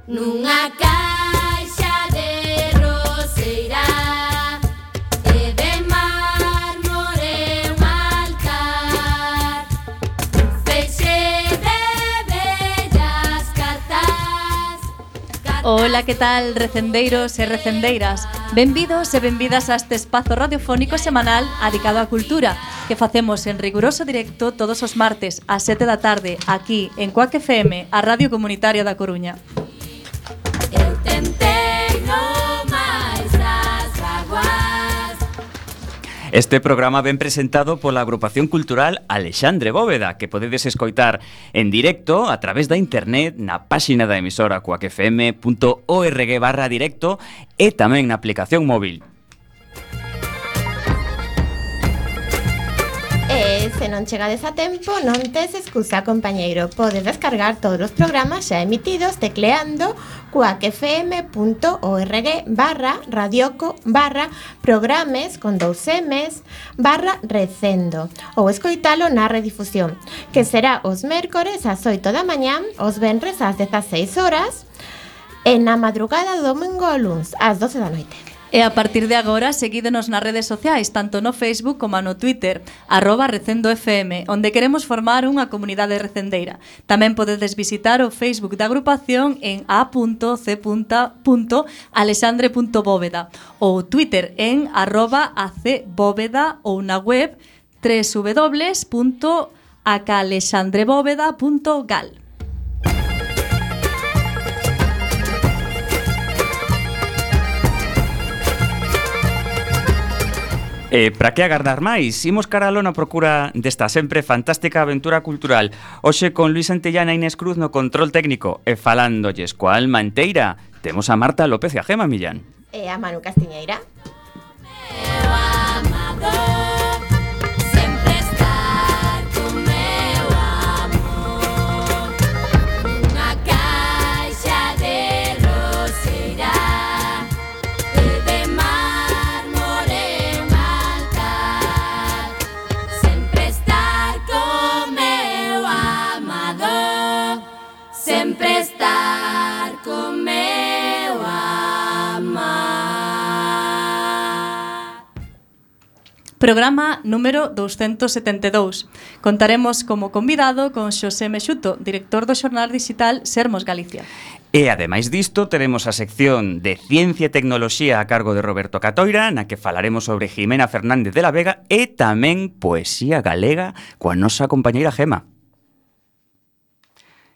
Nunha caixa de roseira e de mármore un altar, feixe de bellas cartas. Ola, que tal, recendeiros e recendeiras? Benvidos e benvidas a este espazo radiofónico semanal dedicado á cultura que facemos en riguroso directo todos os martes ás 7 da tarde aquí en Cuac FM, a Radio Comunitaria da Coruña. Eu tentei no máis as vaguas. Este programa ben presentado pola agrupación cultural Alexandre Bóveda, que podedes escoitar en directo a través da internet na páxina da emisora cuacfm.org/directo e tamén na aplicación móvil. E se non chegades a tempo, non tes excusa, compañeiro. Podes descargar todos os programas xa emitidos tecleando cuacfm.org/radioco/programes con 2 M's /recendo ou escoitalo na redifusión, que será os mércores ás 8 da mañá, os venres ás 16 horas e na madrugada do domingo ao luns ás 12 da noite. E a partir de agora, seguídenos nas redes sociais, tanto no Facebook como no Twitter, @recendofm, onde queremos formar unha comunidade recendeira. Tamén podedes visitar o Facebook da agrupación en a.c.alexandre.bóveda ou Twitter en @acbóveda ou na web www.acalexandrebóveda.gal. Para que agardar máis? Imos caralo na procura desta sempre fantástica aventura cultural. Hoxe con Luis Antellana e Inés Cruz no control técnico e falándolles coa alma enteira. Temos a Marta López e a Gema Millán. E a Manu Castiñeira. Meu amador, sempre estar con meu amor. Unha caixa de roseira e de mármore un altar, sempre estar con meu amador, sempre estar con meu amar. Programa número 272. Contaremos como convidado con Xosé Mexuto, director do xornal digital Sermos Galicia. E ademais disto, teremos a sección de Ciencia e Tecnoloxía a cargo de Roberto Catoira, na que falaremos sobre Jimena Fernández de la Vega e tamén poesía galega coa nosa compañeira Gema.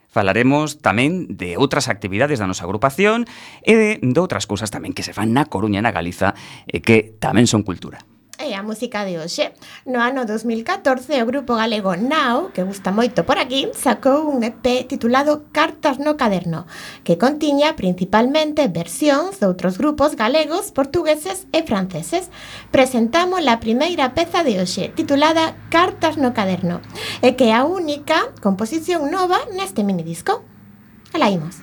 Falaremos tamén de outras actividades da nosa agrupación e de outras cousas tamén que se fan na Coruña e na Galiza e que tamén son cultura. E a música de hoxe. No ano 2014, o grupo galego Now, que gusta moito por aquí, sacou un EP titulado Cartas no caderno, que contiña principalmente versións de outros grupos galegos, portugueses e franceses. Presentamos a primeira peza de hoxe, titulada Cartas no caderno, e que é a única composición nova neste minidisco. Alá imos.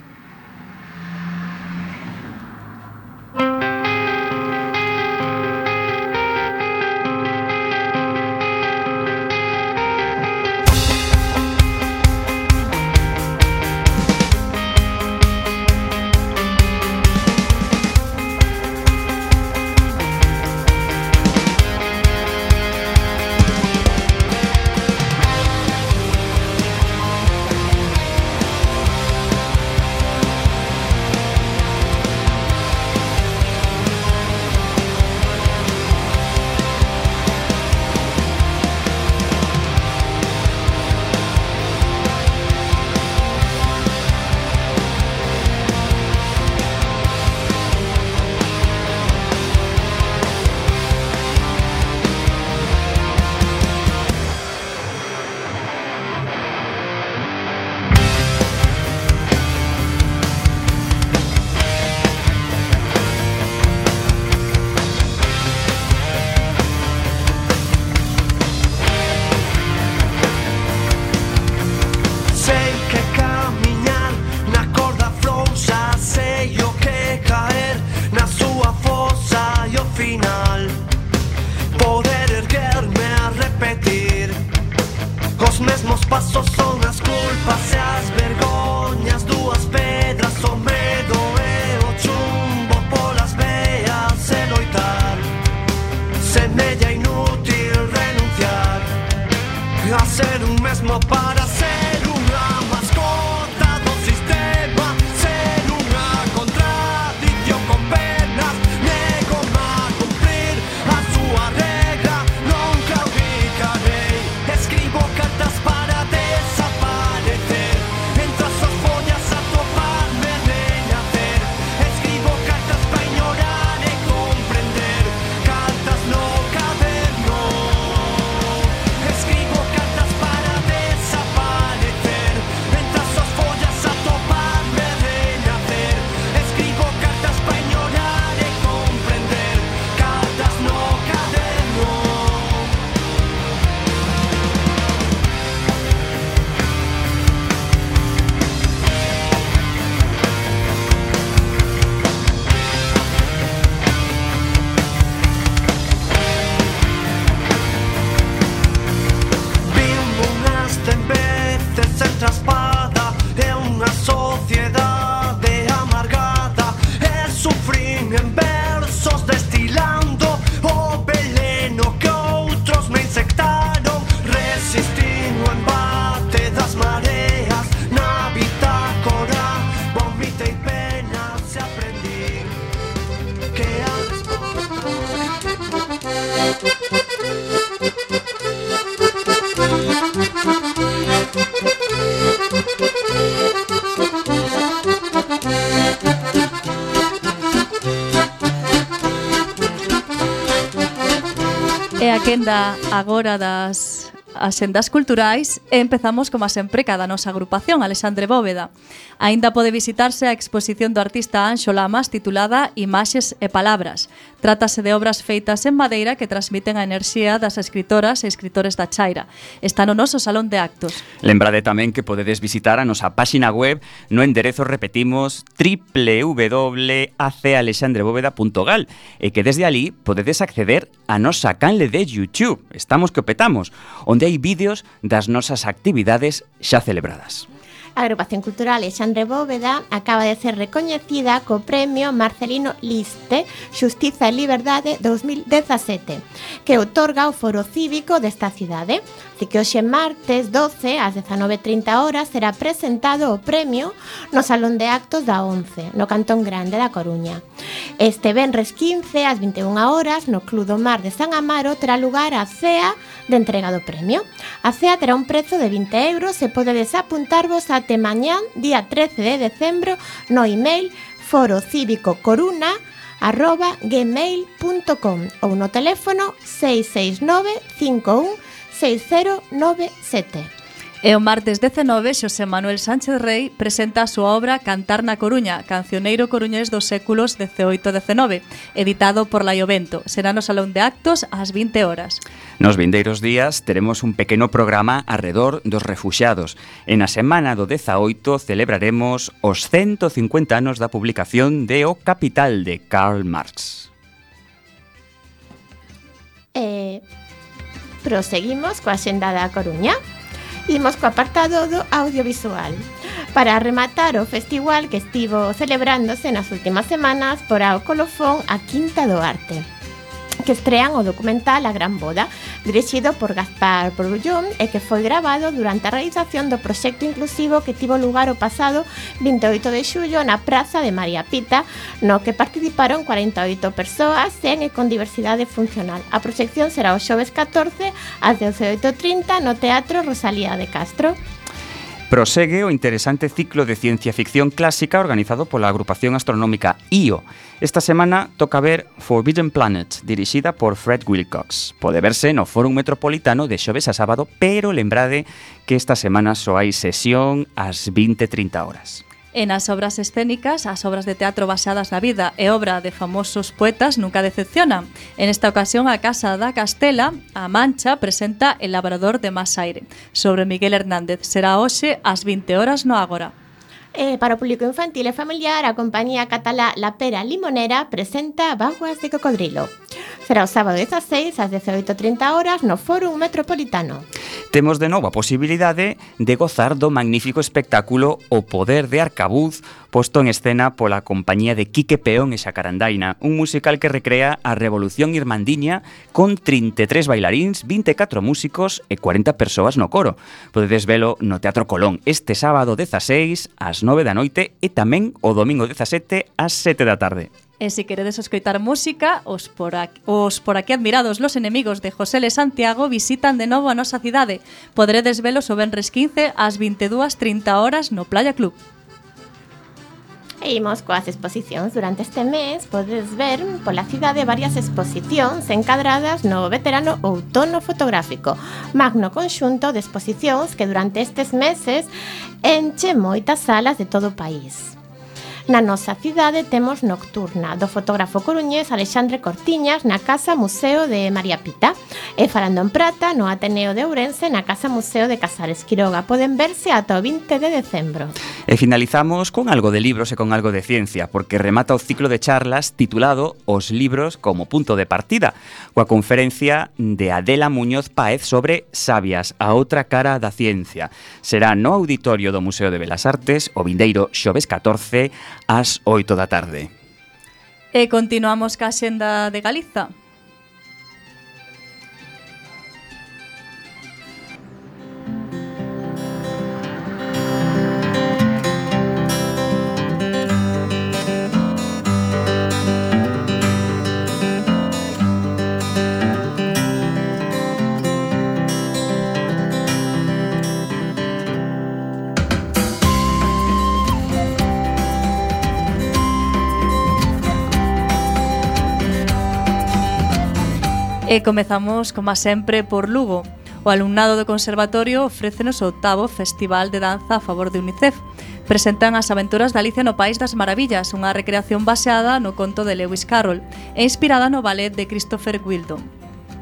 sociedade amargada e sufrín en versos destilando o veleno que outros me insectaron. Resistín o embate das mareas na bitácora, vomitei penas e aprendí que E a quenda agora das axendas culturais e empezamos, como sempre, cada nosa agrupación, Alexandre Bóveda. Aínda pode visitarse a exposición do artista Anxo Lamas titulada Imaxes e Palabras. Trátase de obras feitas en madeira que transmiten a enerxía das escritoras e escritores da Chaira. Está no noso salón de actos. Lembrade tamén que podedes visitar a nosa páxina web no enderezo, repetimos, www.acalexandrebóveda.gal e que desde ali podedes acceder a nosa canle de YouTube, Estamos que o petamos, onde hai vídeos das nosas actividades xa celebradas. A Agrupación Cultural Alexandre Bóveda acaba de ser recoñecida co Premio Marcelino Liste Xustiza e Liberdade 2017, que outorga o Foro Cívico desta cidade. Así que hoxe martes 12 ás 19:30 horas será presentado o premio no Salón de Actos da ONCE, no Cantón Grande da Coruña. Este venres 15 ás 21 horas no Club do Mar de San Amaro terá lugar a cea de entrega do premio. A cea terá un prezo de 20 euros e podedes apuntarvos até mañán, día 13 de decembro, no email forocívicocoruna@gmail.com ou no teléfono 669 51 6097. E o martes 19, Xosé Manuel Sánchez Rey presenta a súa obra Cantar na Coruña, cancioneiro coruñés dos séculos XVIII e XIX, editado por Laiovento. Será no Salón de Actos ás 20 horas. Nos vindeiros días teremos un pequeno programa arredor dos refuxiados. E na semana do 18 celebraremos os 150 anos da publicación de O Capital de Karl Marx. Proseguimos coa xenda da Coruña. Imos co apartado do audiovisual. Para rematar o festival que estivo celebrándose nas últimas semanas por ao colofón a Quinta do Arte, que estrean o documental A Gran Boda, dirixido por Gaspar Brullón e que foi grabado durante a realización do proxecto inclusivo que tivo lugar o pasado 28 de xullo na Praza de María Pita, no que participaron 48 persoas en e con diversidade funcional. A proxección será o xoves 14 ás 18:30 no Teatro Rosalía de Castro. Prosegue o interesante ciclo de ciencia ficción clásica organizado pola agrupación astronómica IO. Esta semana toca ver Forbidden Planet, dirixida por Fred Wilcox. Pode verse no Fórum Metropolitano de xoves a sábado, pero lembrade que esta semana só hai sesión ás 20:30 horas. E nas obras escénicas, as obras de teatro baseadas na vida e obra de famosos poetas nunca decepcionan. En esta ocasión, a Casa da Castela, a Mancha, presenta El labrador de Masaire, sobre Miguel Hernández. Será hoxe ás 20 horas no Ágora. Para o público infantil e familiar, a compañía catalá La Pera Limonera presenta Vaguas de Cocodrilo. Será o sábado 16 ás 18:30 horas no Fórum Metropolitano. Temos de novo a posibilidade de gozar do magnífico espectáculo O Poder de Arcabuz, posto en escena pola compañía de Quique Peón e Xacarandaina, un musical que recrea a Revolución Irmandiña con 33 bailaríns, 24 músicos e 40 persoas no coro. Podedes velo no Teatro Colón este sábado 16 ás 9 da noite e tamén o domingo 17 ás 7 da tarde. E se queredes escoitar música, os por aquí admirados Los Enemigos de José L. Santiago visitan de novo a nosa cidade. Poderedes velos o venres 15 ás 22:30 horas no Playa Club. E imos coas exposicións. Durante este mes podes ver pola cidade varias exposicións encadradas no veterano outono fotográfico, magno conxunto de exposicións que durante estes meses enche moitas salas de todo o país. Na nosa cidade temos Nocturna, do fotógrafo coruñés Alexandre Cortiñas, na Casa Museo de María Pita. E falando en prata, no Ateneo de Ourense, na Casa Museo de Casares Quiroga. Poden verse ata o 20 de decembro. E finalizamos con algo de libros e con algo de ciencia, porque remata o ciclo de charlas titulado Os libros como punto de partida, coa conferencia de Adela Muñoz Páez sobre Sabias, a outra cara da ciencia. Será no auditorio do Museo de Belas Artes o vindeiro xoves 14 ás 8 da tarde. E continuamos ca Xenda de Galiza. E comezamos, como sempre, por Lugo. O alumnado do Conservatorio ofrécenos o 8º Festival de Danza a favor de UNICEF. Presentan as aventuras de Alicia no País das Maravillas, unha recreación baseada no conto de Lewis Carroll e inspirada no ballet de Christopher Wheeldon.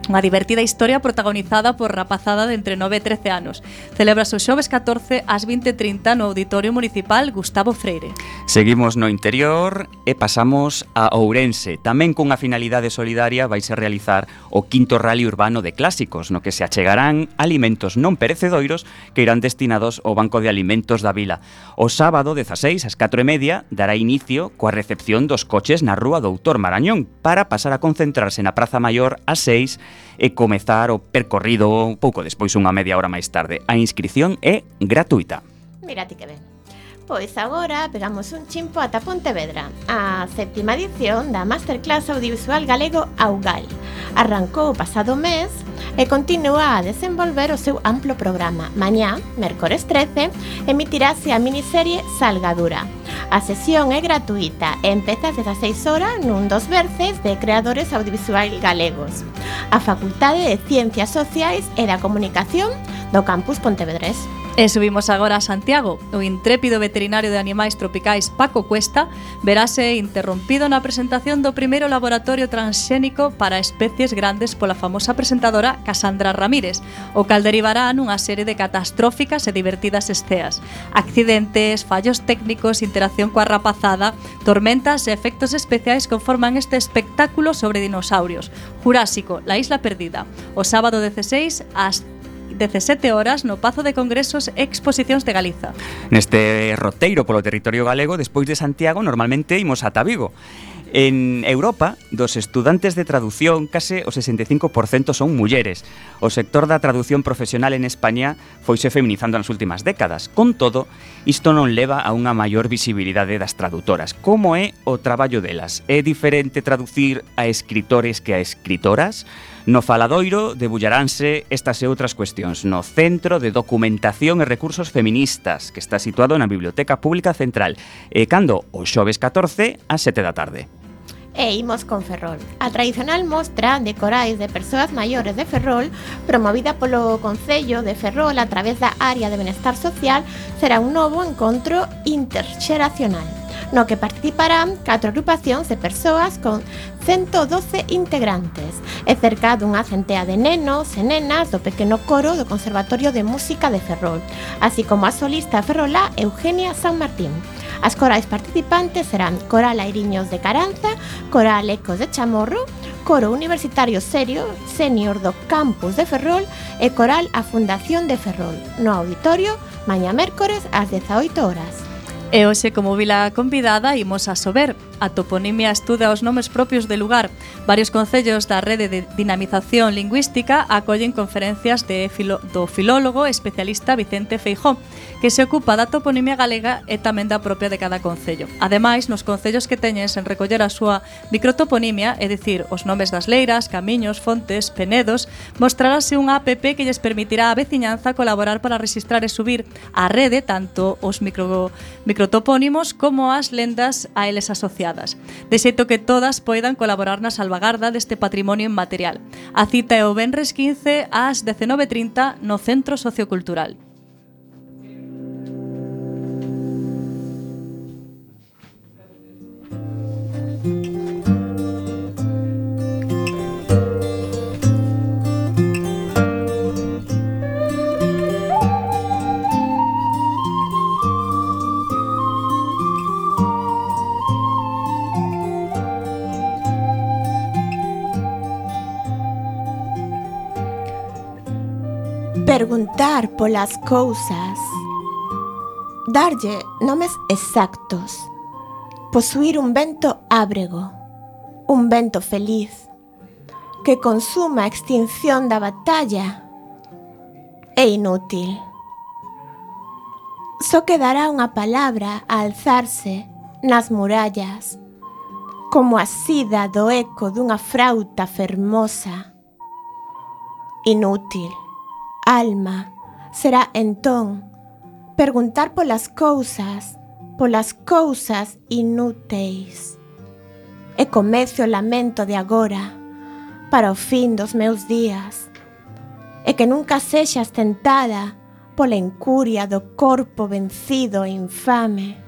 Unha divertida historia protagonizada por rapazada de entre 9 e 13 anos. Celébrase o xoves 14 ás 20:30 no Auditorio Municipal Gustavo Freire. Seguimos no interior e pasamos a Ourense. Tamén cunha finalidade solidaria vaise realizar o 5º Rally Urbano de Clásicos, no que se achegarán alimentos non perecedoiros que irán destinados ao Banco de Alimentos da Vila. O sábado 16 ás 4:30 dará inicio coa recepción dos coches na Rúa Doutor Marañón para pasar a concentrarse na Praza Maior ás 6 e comezar o percorrido pouco despois, unha media hora máis tarde. A inscrición é gratuita. Mira ti que ben. Pois agora pegamos un chimpo ata Pontevedra. A 7ª edición da Masterclass Audiovisual Galego Augal arrancou o pasado mes e continúa a desenvolver o seu amplo programa. Mañá, mércores 13, emitirase a miniserie Salgadura. A sesión é gratuita e empeza ás 16 horas nun dos verces de creadores audiovisuais galegos. A Facultade de Ciencias Sociais e da Comunicación do Campus Pontevedrés. E subimos agora a Santiago. O intrépido veterinario de animais tropicais Paco Cuesta verase interrompido na presentación do primeiro laboratorio transxénico para especies grandes pola famosa presentadora Casandra Ramírez, o cal derivará nunha serie de catastróficas e divertidas esceas. Accidentes, fallos técnicos, interacción coa rapazada, tormentas e efectos especiais conforman este espectáculo sobre dinosaurios. Jurásico, la isla perdida. O sábado 16 ás 17 horas no Pazo de Congresos e Exposicións de Galiza. Neste roteiro polo territorio galego, despois de Santiago, normalmente imos ata Vigo. En Europa, dos estudantes de traducción, case o 65% son mulleres. O sector da traducción profesional en España foise feminizando nas últimas décadas. Con todo, isto non leva a unha maior visibilidade das traductoras. Como é o traballo delas? É diferente traducir a escritores que a escritoras? No faladoiro debullaranse estas e outras cuestións no Centro de Documentación e Recursos Feministas, que está situado na Biblioteca Pública Central, e cando o xoves 14 ás 7 da tarde. E imos con Ferrol. A tradicional mostra de corais de persoas maiores de Ferrol, promovida polo Concello de Ferrol a través da Área de Benestar Social, será un novo encontro interxeracional, no que participarán 4 agrupacións de persoas con 112 integrantes e cerca dunha centea de nenos e nenas do pequeno coro do Conservatorio de Música de Ferrol, así como a solista ferrolá Eugenia San Martín. As corais participantes serán Coral Airiños de Caranza, Coral Ecos de Chamorro, Coro Universitario Senior do Campus de Ferrol e Coral A Fundación de Ferrol, no auditorio, mañá mércores ás 18 horas. E hoxe, como vila convidada, imos a Sober. A toponimia estuda os nomes propios de lugar. Varios concellos da rede de dinamización lingüística acollen conferencias do filólogo especialista Vicente Feijó, que se ocupa da toponimia galega e tamén da propia de cada concello. Ademais, nos concellos que teñen sen recoller a súa microtoponimia, é dicir, os nomes das leiras, camiños, fontes, penedos, mostrarase unha app que lles permitirá á veciñanza colaborar para registrar e subir á rede tanto os microtopónimos como as lendas a eles asociadas, de xeito que todas poidan colaborar na salvagarda deste patrimonio inmaterial. A cita é o venres 15 ás 19:30 no Centro Sociocultural. Preguntar polas cousas. Darlle nomes exactos. Posuir un vento ábrego. Un vento feliz. Que consuma a extinción da batalla. É inútil. Só quedará unha palabra a alzarse nas murallas, como a sida do eco dunha frauta fermosa. Inútil. Alma será entón perguntar polas cousas inúteis. E comece o lamento de agora para o fin dos meus días, e que nunca sexas tentada pola incuria do corpo vencido e infame.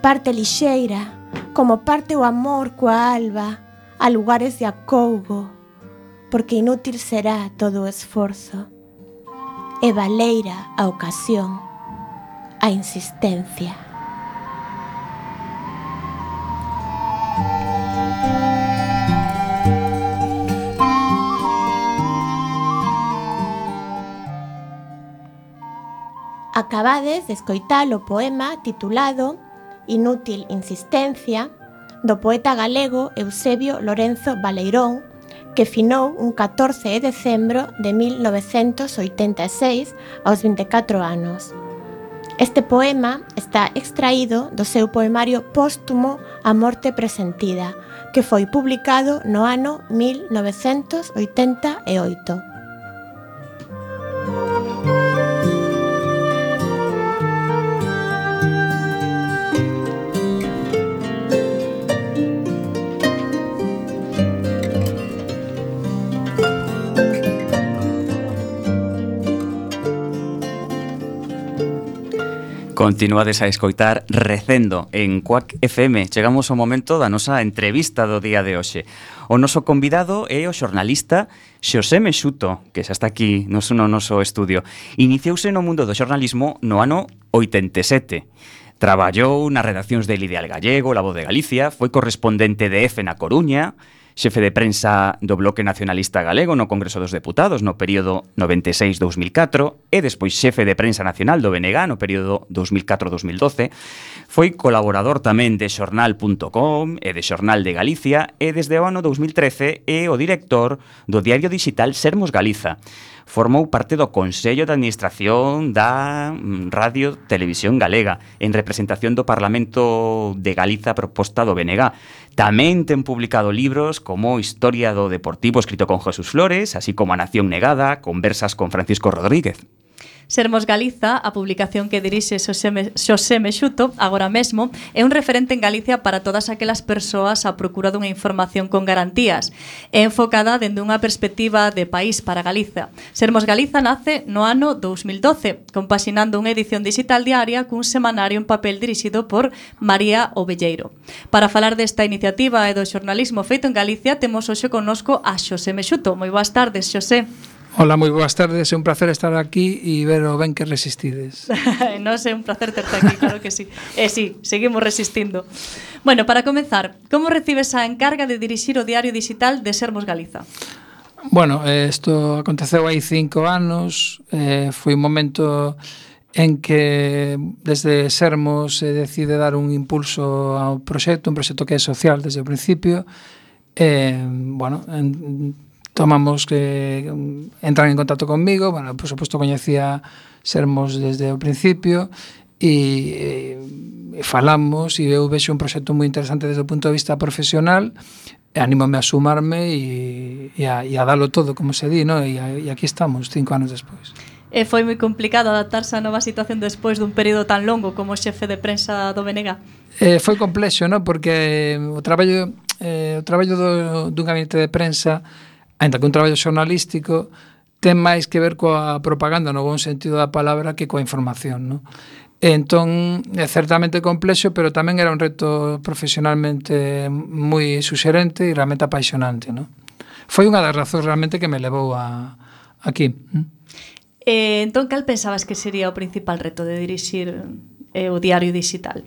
Parte lixeira, como parte o amor coa alba, a lugares de acougo, porque inútil será todo o esforzo, e valeira a ocasión, a insistencia. Acabades de escoitar o poema titulado Inútil insistencia, do poeta galego Eusebio Lorenzo Baleirón, que finou un 14 de decembro de 1986 aos 24 anos. Este poema está extraído do seu poemario póstumo A morte presentida, que foi publicado no ano 1988. Continuades a escoitar Recendo en Cuac FM. Chegamos ao momento da nosa entrevista do día de hoxe. O noso convidado é o xornalista Xosé Mexuto, que xa está aquí no noso estudio. Iniciouse no mundo do xornalismo no ano 87. Traballou nas redaccións del Ideal Gallego, La Voz de Galicia, foi correspondente de EFE na Coruña, xefe de prensa do Bloque Nacionalista Galego no Congreso dos Deputados no período 96-2004 e despois xefe de prensa nacional do BNG no período 2004-2012. Foi colaborador tamén de xornal.com e de Xornal de Galicia e desde o ano 2013 é o director do diario digital Sermos Galiza. Formou parte do Consello de Administración da Radio Televisión Galega en representación do Parlamento de Galiza proposta do BNG. Tamén ten publicado libros como Historia do Deportivo escrito con Jesús Flores, así como A Nación Negada, Conversas con Francisco Rodríguez. Sermos Galiza, a publicación que dirixe Xosé Mexuto, agora mesmo, é un referente en Galicia para todas aquelas persoas á procura dunha información con garantías. É enfocada dende unha perspectiva de país para Galiza. Sermos Galiza nace no ano 2012, compaxinando unha edición digital diaria cun semanario en papel dirixido por María Ovelleiro. Para falar desta iniciativa e do xornalismo feito en Galicia, temos hoxe connosco a Xosé Mexuto. Moi boas tardes, Xosé. Hola, moi boas tardes, é un placer estar aquí e ver o ben que resistides. Non é un placer terte aquí, claro que sí. Sí, seguimos resistindo. Bueno, para comezar, como recibes a encarga de dirixir o diario digital de Sermos Galiza? Bueno, isto aconteceu hai 5 anos, foi un momento en que desde Sermos se decide dar un impulso ao proxecto, un proxecto que é social desde o principio. Tomamos que entran en contacto conmigo, bueno, por suposto coñecía Sermos desde o principio e falamos e eu vexo un proxecto moi interesante desde o punto de vista profesional e anímome a sumarme e a dalo todo, como se di, ¿no? E aquí estamos, 5 anos despois. Foi moi complicado adaptarse á nova situación despois dun período tan longo como xefe de prensa do BNG? Foi complexo, ¿no? Porque o traballo dun gabinete de prensa, ainda que un traballo xornalístico, ten máis que ver coa propaganda no bon sentido da palabra que coa información, non? Entón, é certamente complexo, pero tamén era un reto profesionalmente moi suxerente e realmente apaixonante, non? Foi unha das razóns realmente que me levou aquí. Entón, cal pensabas que sería o principal reto de dirixir o diario digital?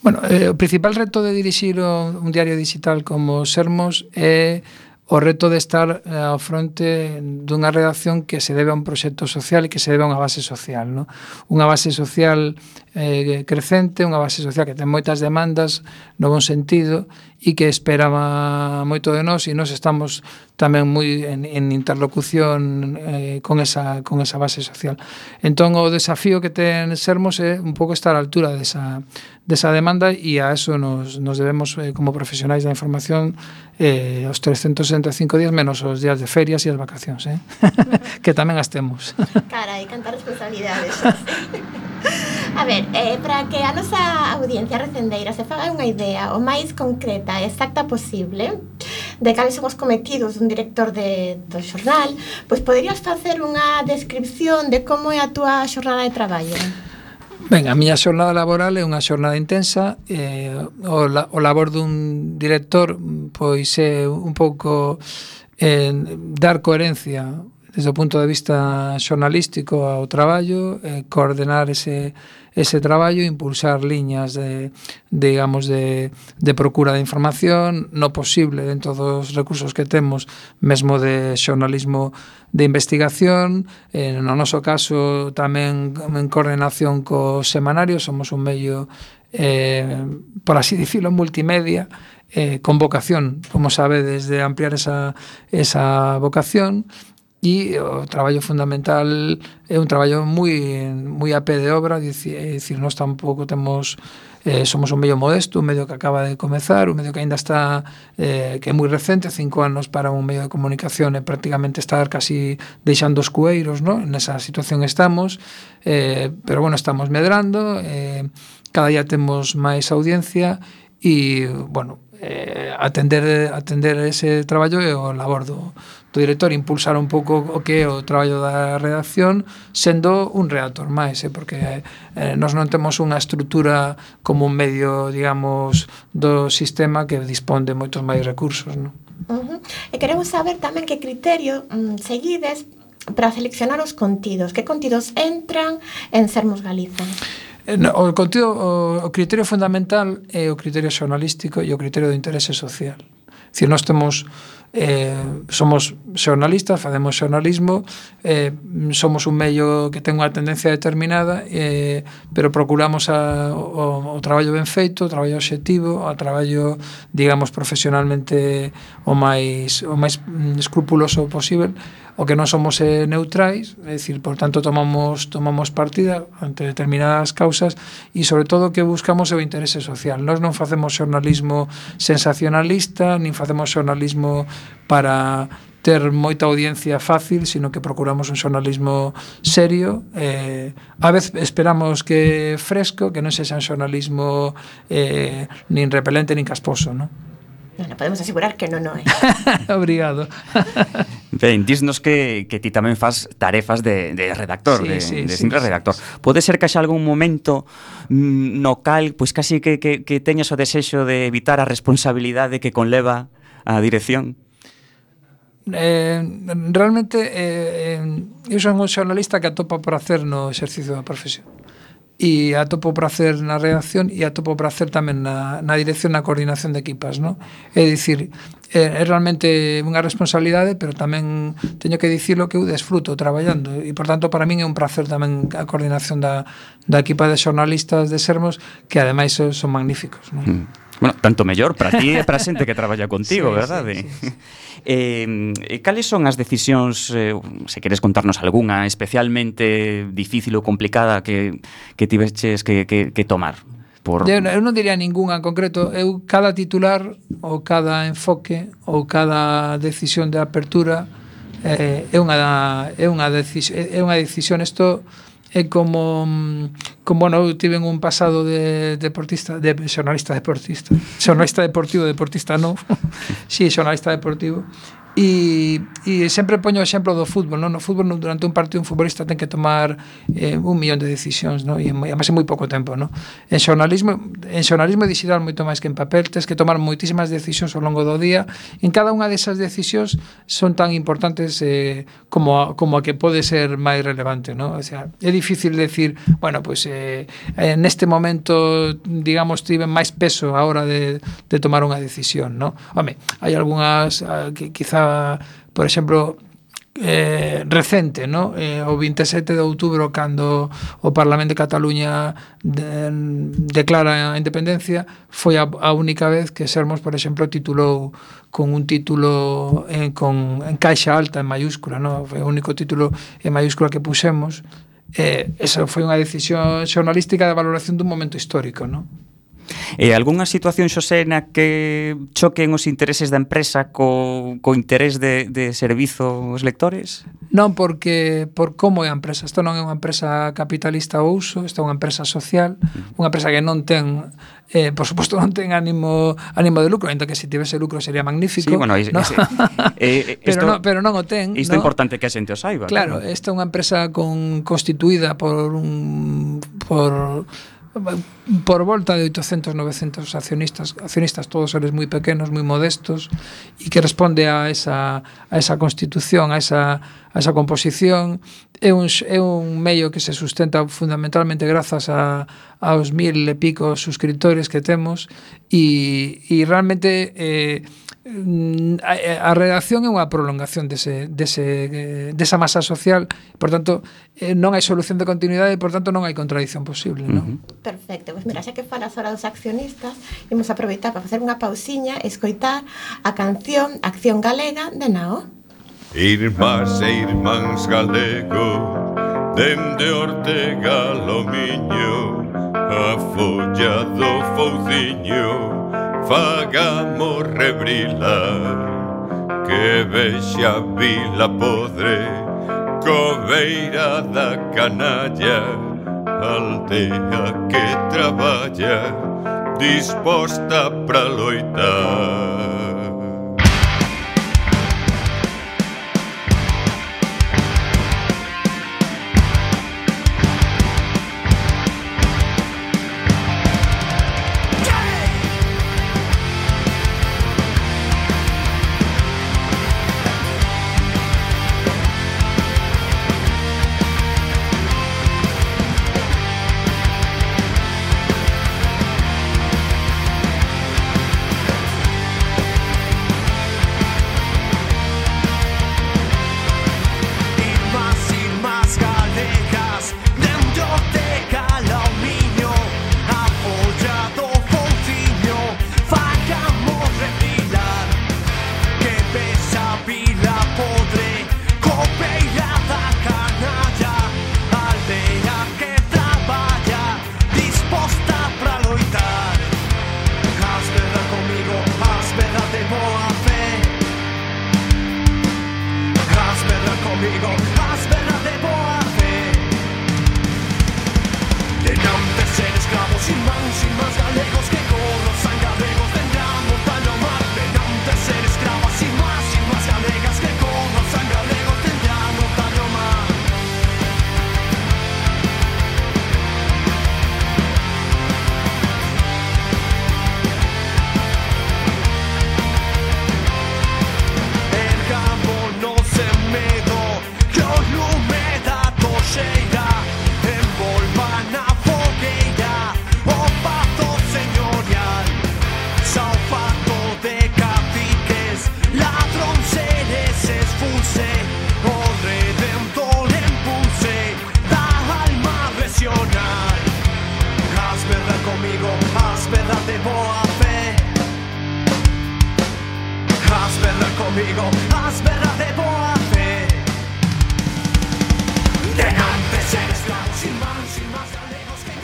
Bueno, o principal reto de dirixir un diario digital como Sermos é o reto de estar ao fronte dunha redacción que se debe a un proxecto social e que se debe a unha base social, no? Unha base social crecente, unha base social que ten moitas demandas no bon sentido e que espera moito de nós, e nós estamos tamén moi en interlocución con esa base social. Entón o desafío que ten Sermos é un pouco estar á altura desa demanda, e a eso nos debemos como profesionais da información os 365 días menos os días de ferias e as vacacións, que tamén as temos. Carai, cantar responsabilidades. A ver, para que a nosa audiencia recendeira se faga unha idea o máis concreta e exacta posible de cales son os cometidos dun director do xornal, pois poderías facer unha descripción de como é a túa xornada de traballo? Ben, a miña xornada laboral é unha xornada intensa. O labor dun director pois é un pouco dar coherencia desde o punto de vista xornalístico ao traballo, coordenar ese traballo, impulsar liñas de procura de información, no posible dentro dos recursos que temos, mesmo de xornalismo de investigación, no noso caso tamén en coordinación co semanario. Somos un medio, por así dicirlo, multimedia, con vocación, como sabedes, de ampliar esa vocación. E o traballo fundamental é un traballo moi a pé de obra, é dicir, nós tampouco temos, somos un medio modesto, un medio que acaba de comezar, un medio que aínda está, que é moi recente, 5 anos para un medio de comunicación e prácticamente estar casi deixando os cueiros, ¿no? Nesa situación estamos, pero bueno, estamos medrando, cada día temos máis audiencia e, bueno, atender ese traballo é o labor do director, impulsar un pouco o que é o traballo da redacción, sendo un redactor máis, porque nós non temos unha estrutura como un medio, digamos, do sistema que dispón de moitos máis recursos, non? E queremos saber tamén que criterio seguides para seleccionar os contidos. Que contidos entran en Sermos Galiza? O contido, o criterio fundamental é o criterio xornalístico e o criterio do interese social. É dicir, nós temos somos xornalistas, facemos xornalismo, somos un medio que ten unha tendencia determinada, pero procuramos o traballo ben feito, o traballo obxectivo, o traballo, digamos, profesionalmente o máis escrupuloso posible. O que non somos neutrais, é dicir, por tanto tomamos partida ante determinadas causas, e sobre todo que buscamos o interese social. Nós non facemos xornalismo sensacionalista, nin facemos xornalismo para ter moita audiencia fácil, sino que procuramos un xornalismo serio, a vez esperamos que fresco, que non sexa un xornalismo nin repelente nin casposo, non? Bueno, podemos asegurar que non é. Obrigado. Ben, dísnos que ti tamén fas tarefas de redactor, simple redactor. Pode ser que haxa algún momento no cal, pois casi que teñas o desexo de evitar a responsabilidade que conleva a dirección? Realmente eu son un xornalista que atopa por hacer no exercicio da profesión, e atopo por hacer na redacción e atopo por hacer tamén na dirección, na coordinación de equipas, non? É dicir, é realmente unha responsabilidade, pero tamén teño que dicirlo que eu desfruto traballando, e por tanto para min é un placer tamén a coordinación da equipa de xornalistas de Sermos, que ademais son magníficos, non? Bueno, tanto mellor para ti e para a xente que traballa contigo, verdade? Cales son as decisións, se queres contarnos algunha especialmente difícil ou complicada que tiveches que tomar? Eu non diría ninguna en concreto. Eu, cada titular ou cada enfoque ou cada decisión de apertura é unha decisión. Isto é como bueno, eu tive un pasado de deportista, de xornalista deportivo, non? Si, xornalista deportivo, E sempre poño o exemplo do fútbol, non? No fútbol, durante un partido, un futbolista ten que tomar 1 millón de decisións, non? E además en moi pouco tempo, non? En xornalismo digital moito máis que en papel, tens que tomar moitísimas decisións ao longo do día. En cada unha desas decisións son tan importantes como a que pode ser máis relevante, non? O sea, é difícil decir, bueno, pues neste momento, digamos, tive máis peso a hora de tomar unha decisión, non? Home, hai algunhas que quizá, por exemplo, recente, no? O 27 de outubro, cando o Parlamento de Cataluña declara a independencia, foi a única vez que Sermos, por exemplo, titulou con un título en caixa alta, en mayúscula, no? Foi o único título en mayúscula que pusemos. Esa foi unha decisión xornalística de valoración dun momento histórico, no? E algunha situación, Xosé, na que choquen os intereses da empresa co interés de servizo aos lectores? Non, porque por como é a empresa. Isto non é unha empresa capitalista ao uso, isto é unha empresa social, unha empresa que non ten, por suposto, non ten ánimo de lucro, ainda que se tivese lucro sería magnífico. Sí, bueno, ¿no? Pero non o ten. Isto é ¿no? importante que a xente o saiba. Claro, esta é unha empresa constituída por volta de 800, 900 accionistas, todos eles moi pequenos, moi modestos, e que responde a esa constitución, a esa composición. É un medio que se sustenta fundamentalmente grazas aos 1000 e pico suscriptores que temos, e realmente a redacción é unha prolongación desa masa social. Por tanto, non hai solución de continuidade e, por tanto, non hai contradición posible, non? Perfecto, pois mira, xa que falas ahora dos accionistas, imos aproveitar para facer unha pausiña e escoitar a canción Acción Galega de Nao. Irmás e irmáns galego, dende Ortega lo Miño, a folla do Fouciño, fagamos rebrilar, que vexa Vila Podre, cobeira da canalla, aldea que traballa, disposta pra loitar.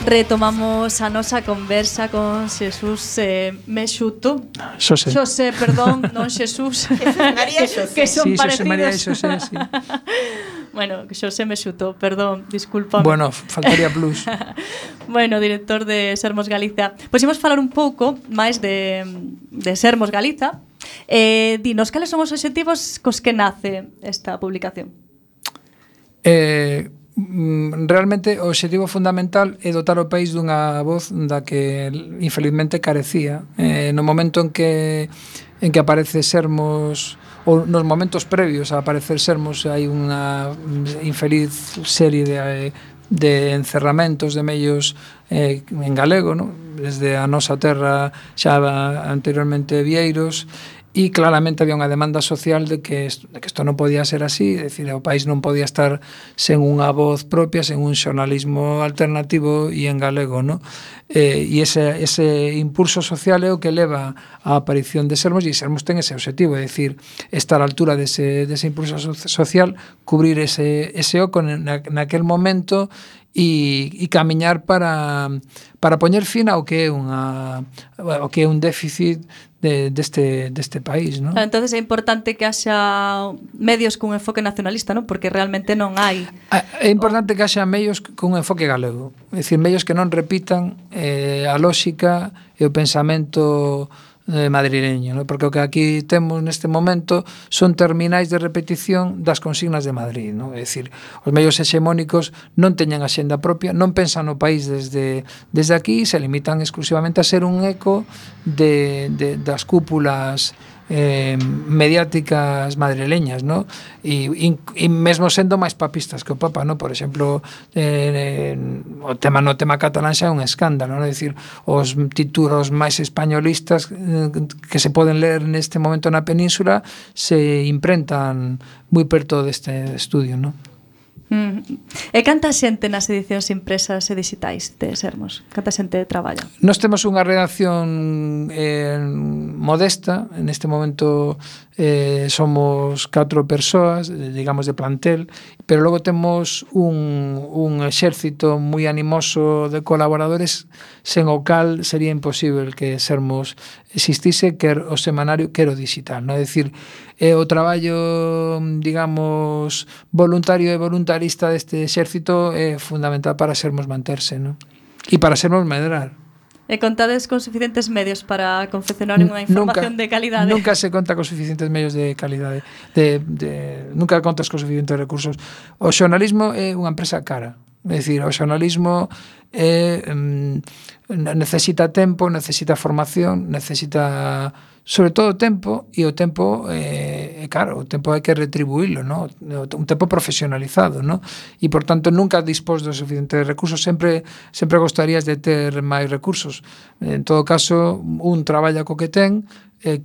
Retomamos a nosa conversa con Xesús Mexuto. Xosé, perdón, non Xesús. María Xosé. Que son sí, parecidos. Xosé María e Xosé, sí. Bueno, Xosé Mexuto, perdón, disculpa. Bueno, faltaría plus. Bueno, director de Sermos Galiza. Pois imos falar un pouco máis de Sermos Galiza. Dinos, cales son os obxectivos cos que nace esta publicación? Realmente o obxectivo fundamental é dotar o país dunha voz da que infelizmente carecía. No momento en que aparece Sermos, ou nos momentos previos a aparecer Sermos, hai unha infeliz serie de encerramentos de medios en galego, ¿no? Desde a nosa terra xa anteriormente Vieiros, e claramente había unha demanda social de que isto non podía ser así, é dicir, o país non podía estar sen unha voz propia, sen un xornalismo alternativo e en galego, ¿no? E ese impulso social é o que leva á aparición de Sermos, e Sermos ten ese objetivo, é dicir, estar á altura dese impulso social, cubrir ese oco naquel momento e camiñar para poñer fin ao que é un déficit deste país, ¿no? Entonces é importante que haxa medios cun enfoque nacionalista, ¿no? Porque realmente non hai. É importante que haxa medios cun enfoque galego, é dicir, medios que non repitan a lógica e o pensamento madrileño, ¿no? Porque o que aquí temos neste momento son terminais de repetición das consignas de Madrid, ¿no? É dicir, os medios hexemónicos non teñen axenda propia, non pensan no país desde aquí, se limitan exclusivamente a ser un eco das cúpulas mediáticas madrileñas, ¿no? E mesmo sendo máis papistas que o Papa, ¿no? Por exemplo, o tema catalán xa é un escándalo, ¿no? É dicir, os títulos máis españolistas que se poden ler neste momento na península se imprentan moi perto deste estudio, ¿no? E canta xente nas edicións impresas e digitais de Sermos? Canta xente traballa? Nós temos unha redacción modesta, neste momento somos 4 persoas, digamos, de plantel, pero logo temos un exército moi animoso de colaboradores sen o cal sería imposible que Sermos existise, quer o semanario, quer o digital, non? É dicir, o traballo, digamos, voluntario e voluntarista deste exército é fundamental para Sermos manterse, non? E para Sermos medrar. E contades con suficientes medios para confeccionar unha información de calidade? Nunca se conta con suficientes medios de calidade. Nunca contas con suficientes recursos. O xornalismo é unha empresa cara. É dicir, o xornalismo necesita tempo, necesita formación, necesita sobre todo tempo, e o tempo claro, o tempo hai que retribuílo, ¿no? Un tempo profesionalizado, ¿no? E por tanto nunca dispós dos suficientes recursos, sempre gostarías de ter máis recursos. En todo caso, un traballa co que ten,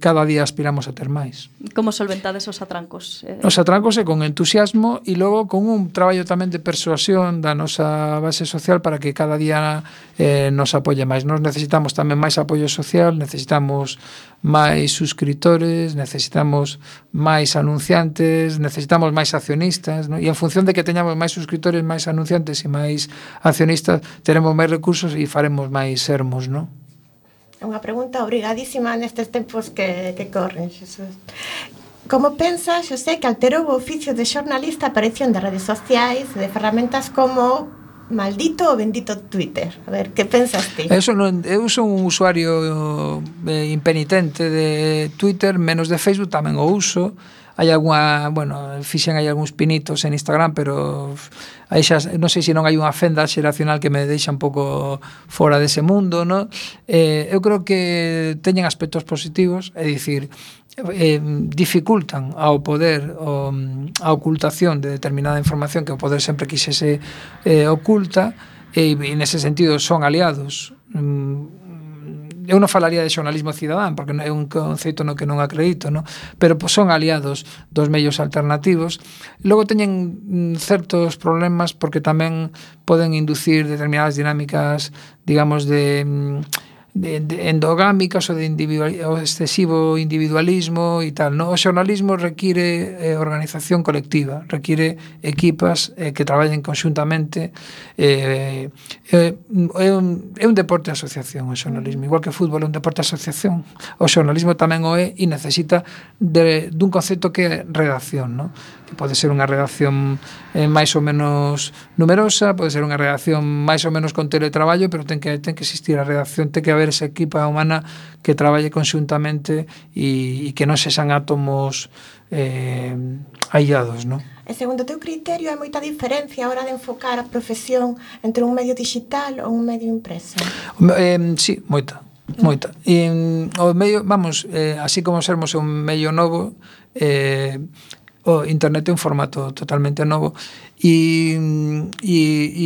cada día aspiramos a ter máis. Como solventades os atrancos? Os atrancos é con entusiasmo e logo con un traballo tamén de persuasión da nosa base social para que cada día nos apoie máis. Nos necesitamos tamén máis apoio social, necesitamos máis suscriptores, necesitamos máis anunciantes, necesitamos máis accionistas, ¿no? E en función de que teñamos máis suscriptores, máis anunciantes e máis accionistas, teremos máis recursos e faremos máis Sermos, ¿no? Unha pregunta obrigadísima nestes tempos que corren, Xesús. Como pensas, Xosé, que alterou o oficio de xornalista a aparición de redes sociais, de ferramentas como maldito ou bendito Twitter? A ver, que pensas ti? Eu son un usuario impenitente de Twitter, menos de Facebook, tamén o uso. Hai algunha, fixen hai algúns pinitos en Instagram, pero aí xa non sei se non hai unha fenda xeracional que me deixa un pouco fora dese mundo, ¿no? Eu creo que teñen aspectos positivos, é dicir, dificultan ao poder a ocultación de determinada información que o poder sempre quixese oculta, e nese sentido son aliados. Eu non falaría de xornalismo cidadán porque é un conceito no que non acredito, no? Pero son aliados dos medios alternativos. Logo teñen certos problemas porque tamén poden inducir determinadas dinámicas, digamos, de endogámicas ou de excesivo individualismo e tal, no? O xornalismo require organización colectiva, require equipas que traballen conxuntamente. É un deporte de asociación o xornalismo, igual que o fútbol é un deporte de asociación. O xornalismo tamén o é e necesita dun concepto que é redacción, no? Que pode ser unha redacción máis ou menos numerosa, pode ser unha redacción máis ou menos con teletraballo, pero ten que existir a redacción, ten que haber haber esa equipa humana que traballe conxuntamente e que non sexan átomos aillados, non? E segundo o teu criterio, hai moita diferencia a hora de enfocar a profesión entre un medio digital ou un medio impreso? Sí, moita. E o medio, vamos, así como sermos un medio novo, o internet é un formato totalmente novo e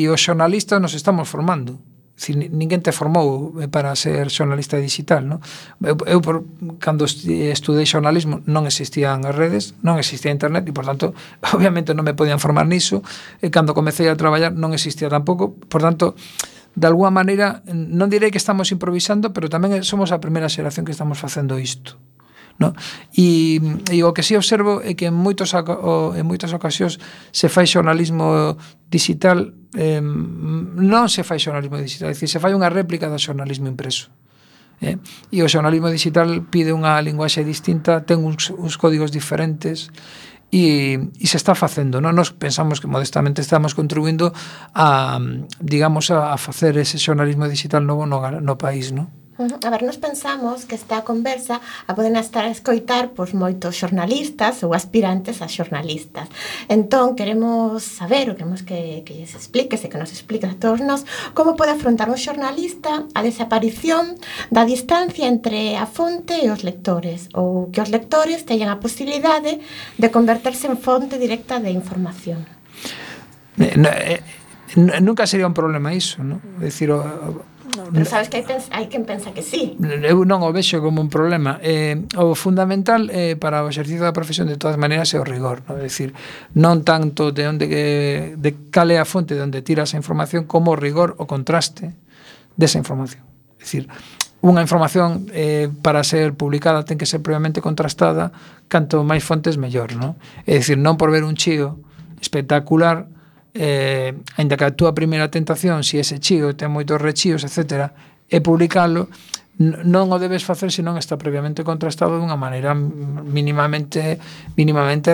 os xornalistas nos estamos formando. Ninguén te formou para ser xornalista digital, non? Eu cando estudei xornalismo non existían as redes, non existía internet e, por tanto, obviamente non me podían formar niso, e cando comecei a traballar non existía tampouco, por tanto, de alguma maneira, non direi que estamos improvisando, pero tamén somos a primeira xeración que estamos facendo isto, non? E o que si observo é que en moitas ocasións se fai xornalismo digital, non se fai xornalismo digital, é dicir, se fai unha réplica do xornalismo impreso. E o xornalismo digital pide unha linguaxe distinta, ten uns códigos diferentes, e se está facendo, non? Nos pensamos que modestamente estamos contribuindo a, digamos, a facer ese xornalismo digital novo no país, non? A ver, nos pensamos que esta conversa a poden estar a escoitar pois moitos xornalistas ou aspirantes a xornalistas. Entón, queremos saber, queremos que se expliques e que nos expliques a todos nós como pode afrontar un xornalista a desaparición da distancia entre a fonte e os lectores, ou que os lectores teñan a posibilidade de converterse en fonte directa de información. Nunca sería un problema iso, non? É dicir, pero sabes que hai quen pensa que sí. Eu non o vexo como un problema. O fundamental para o exercicio da profesión de todas maneiras é o rigor, non? É dicir, non tanto de cal é a fonte de onde tiras a información, como o rigor, o contraste desa información. É dicir, unha información para ser publicada ten que ser previamente contrastada, canto máis fontes mellor, non? É dicir, non por ver un chío espectacular, ainda que a túa primeira tentación, se ese chío ten moitos rechíos, etc., é publicalo, non o debes facer se non está previamente contrastado dunha maneira mínimamente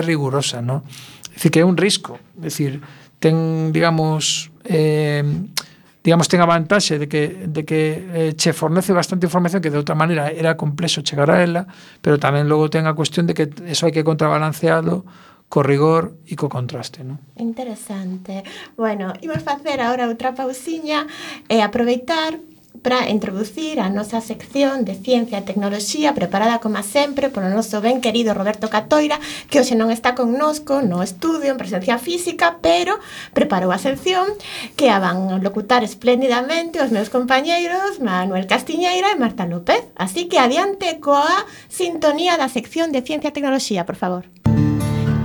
rigurosa, non? É dicir, que é un risco, é dicir, ten, digamos, ten a vantaxe de que che fornece bastante información que de outra maneira era complexo chegar a ela, pero tamén logo ten a cuestión de que eso hai que contrabalanceado co rigor e co contraste, non? Interesante. Bueno, imos facer agora outra pausiña e aproveitar para introducir a nosa sección de Ciencia e Tecnoloxía preparada como sempre polo noso ben querido Roberto Catoira, que hoxe non está connosco no estudio en presencia física, pero preparou a sección que a van locutar espléndidamente os meus compañeiros Manuel Castiñeira e Marta López. Así que adiante coa sintonía da sección de Ciencia e Tecnoloxía, por favor.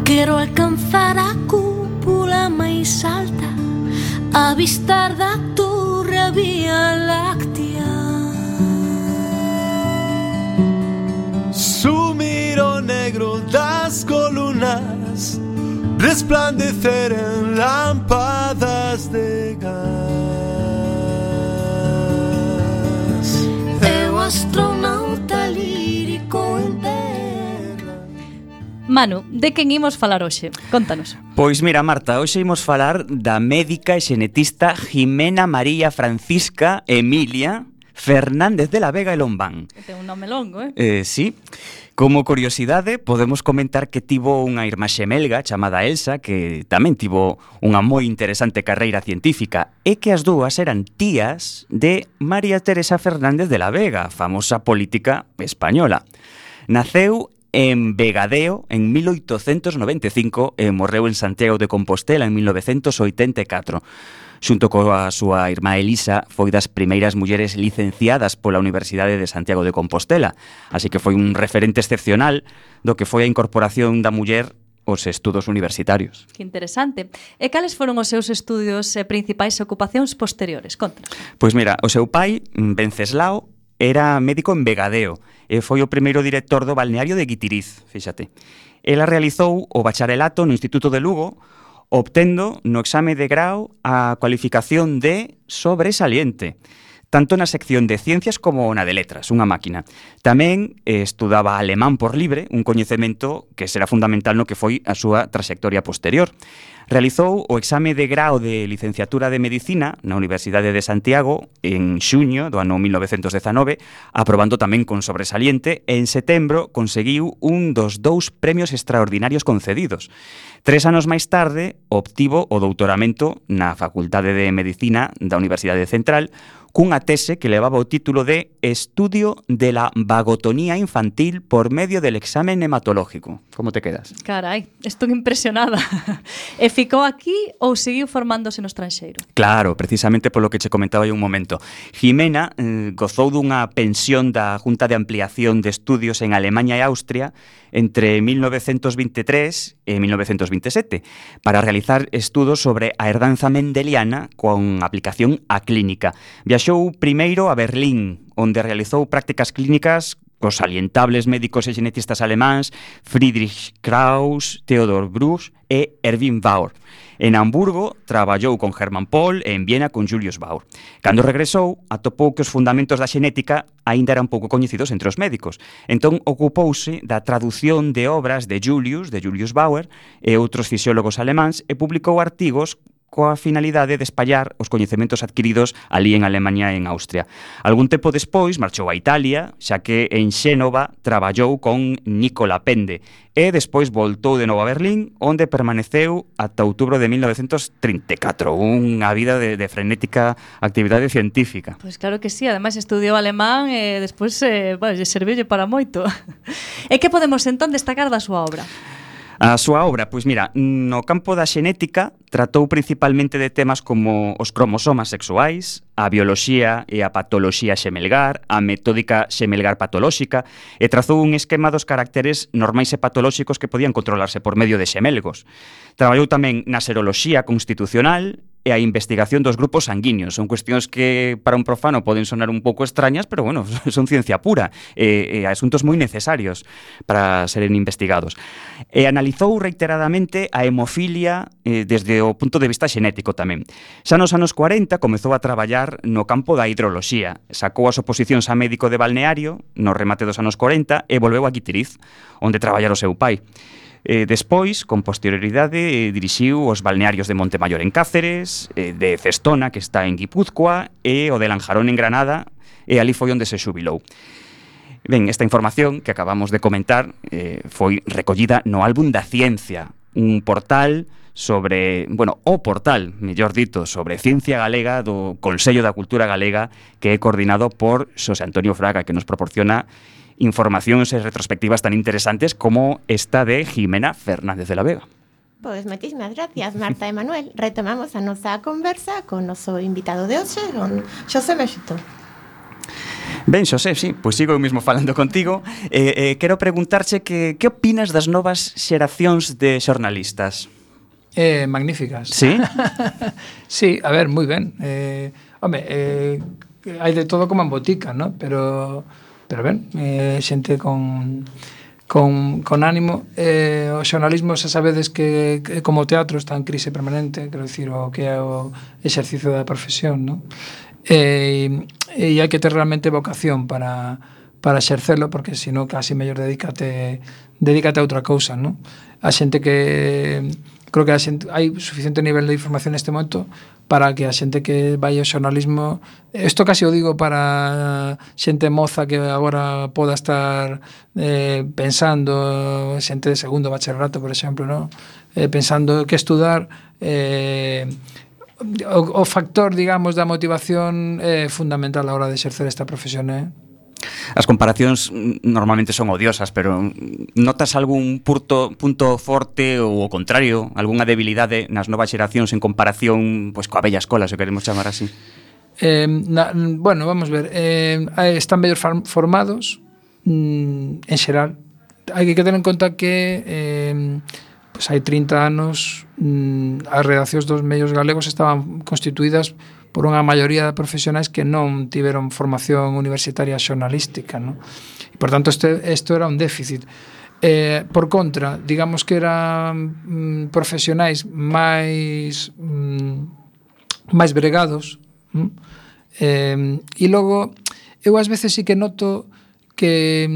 Quero alcanzar a cúpula máis alta, avistar da torre a Vía Láctea, sumir o negro das columnas, resplandecer en lámpadas de gas. eu astronauta lírico en terra. Manu, de quen imos falar hoxe? Contanos. Pois mira, Marta, hoxe imos falar da médica e xenetista Jimena María Francisca Emilia Fernández de la Vega e Lombán. Ten un nome longo, Sí. Como curiosidade, podemos comentar que tivo unha irmá xemelga chamada Elsa, que tamén tivo unha moi interesante carreira científica, e que as dúas eran tías de María Teresa Fernández de la Vega, famosa política española. Naceu en Vegadeo en 1895 e morreu en Santiago de Compostela en 1984. Xunto coa súa irmá Elisa, foi das primeiras mulleres licenciadas pola Universidade de Santiago de Compostela, así que foi un referente excepcional do que foi a incorporación da muller aos estudos universitarios. Que interesante. E cales foron os seus estudios e principais ocupacións posteriores? Contanos. Pois mira, o seu pai, Venceslao, era médico en Vegadeo e foi o primeiro director do balneario de Guitiriz, fíxate. Ela realizou o bacharelato no Instituto de Lugo, obtendo no exame de grau a cualificación de sobresaliente. tanto na sección de ciencias como na de letras, unha máquina. Tamén estudaba alemán por libre, un coñecemento que será fundamental no que foi a súa traxectoria posterior. Realizou o exame de grao de licenciatura de Medicina na Universidade de Santiago en xuño do ano 1919, aprobando tamén con sobresaliente, e en setembro conseguiu un dos 2 premios extraordinarios concedidos. 3 anos máis tarde, obtivo o doutoramento na Facultade de Medicina da Universidade Central, cunha tese que levaba o título de Estudio de la vagotonía infantil por medio del examen hematológico. Como te quedas? Carai, estou impresionada. E ficou aquí ou seguiu formándose no estranxeiro? Claro, precisamente polo que che comentaba hai un momento. Jimena gozou dunha pensión da Junta de Ampliación de Estudios en Alemania e Austria entre 1923 e 1927 para realizar estudos sobre a herdanza mendeliana con aplicación á clínica. Viaxou primeiro a Berlín, onde realizou prácticas clínicas cos salientables médicos e genetistas alemáns Friedrich Krauss, Theodor Bruch e Erwin Bauer. En Hamburgo traballou con Hermann Pohl e en Viena con Julius Baur. Cando regresou, atopou que os fundamentos da xenética aínda eran pouco coñecidos entre os médicos. Entón ocupouse da traducción de obras de Julius Baur e outros fisiólogos alemáns e publicou artigos coa finalidade de espallar os coñecementos adquiridos ali en Alemania e en Austria. Algún tempo despois marchou a Italia, xa que en Xénova traballou con Nicola Pende e despois voltou de novo a Berlín, onde permaneceu ata outubro de 1934. Unha vida de frenética actividade científica. Pois claro que sí, ademais estudiou alemán e despois serviulle para moito. E que podemos entón destacar da súa obra? A súa obra, pois mira, no campo da xenética tratou principalmente de temas como os cromosomas sexuais, a bioloxía e a patoloxía xemelgar, a metódica xemelgar patolóxica, e trazou un esquema dos caracteres normais e patolóxicos que podían controlarse por medio de xemelgos. Traballou tamén na seroloxía constitucional e a investigación dos grupos sanguíneos. Son cuestións que para un profano poden sonar un pouco extrañas, pero bueno, son ciencia pura e asuntos moi necesarios para seren investigados. E analizou reiteradamente a hemofilia desde o punto de vista xenético tamén. Xa nos anos 40 comezou a traballar no campo da hidroloxía. Sacou as oposicións a médico de balneario no remate dos anos 40 e volveu a Guitiriz, onde traballara o seu pai. Despois, con posterioridade, dirixiu os balnearios de Montemayor en Cáceres, de Cestona, que está en Guipúzcoa, e o de Lanjarón en Granada, e ali foi onde se xubilou. Ben, esta información que acabamos de comentar foi recollida no Álbum da Ciencia, un portal sobre, o portal, mellor dito, sobre ciencia galega do Consello da Cultura Galega, que é coordinado por Xosé Antonio Fraga, que nos proporciona informacións e retrospectivas tan interesantes como esta de Jimena Fernández de la Vega. Pois moitísimas gracias, Marta e Manuel. Retomamos a nosa conversa con o noso invitado de hoxe, con Xosé Mexito. Ben, Xosé, sí, pois sigo eu mesmo falando contigo. Quero preguntarche que opinas das novas xeracións de xornalistas? Magníficas. Sí? Sí, a ver, moi ben. Hai de todo como en botica, ¿no? Pero ben, xente con ánimo. O xornalismo, xa sabedes que como o teatro está en crise permanente, quero dicir, o que é o exercicio da profesión, ¿no? E hai que ter realmente vocación para exercerlo, porque senón casi mellor dedícate a outra cousa, ¿no? A xente que creo que hai suficiente nivel de información neste momento para que a xente que vai ao xornalismo, isto casi o digo para xente moza que agora poda estar pensando, xente de segundo bacharelato, por exemplo, ¿no? Pensando que estudar, o factor, digamos, da motivación é fundamental a hora de exercer esta profesión, As comparacións normalmente son odiosas, pero notas algún punto forte ou o contrario, algunha debilidade nas novas xeracións en comparación coa vella escola, se queremos chamar así? Vamos ver, están mellor formados en xeral. Hai que ter en conta que hai 30 anos as redaccións dos medios galegos estaban constituídas por unha maioría de profesionais que non tiveron formación universitaria xornalística, ¿no? E, por tanto, isto era un déficit. Por contra, digamos que eran profesionais máis bregados, E logo, eu ás veces sí que noto que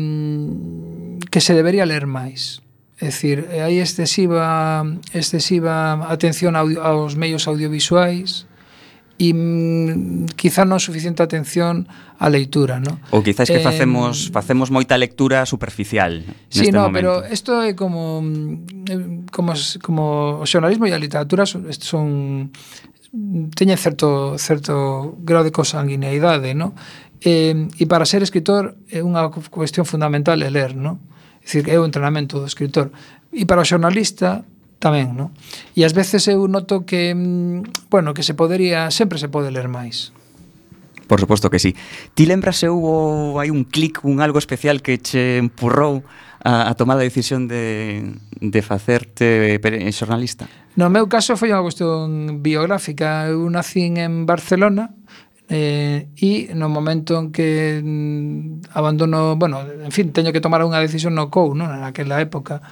se debería ler máis. É dicir, hai excesiva atención aos medios audiovisuais e quizá non suficiente atención á leitura, ¿no? Ou quizás que facemos moita lectura superficial neste momento. Pero isto é como o xornalismo e a literatura teñen certo grado de consanguineidade, ¿no? E para ser escritor é unha cuestión fundamental é ler, ¿no? É dicir, é o entrenamento do escritor. E para o xornalista tamén, ¿no? E ás veces eu noto que, que sempre se pode ler máis. Por suposto que sí. Ti lembras se hai un clic, algo especial que che empurrou a tomar a decisión de facerte xornalista? No meu caso foi unha cuestión biográfica. Eu nací en Barcelona, e no momento en que abandono, teño que tomar unha decisión no COU, non? Naquela época,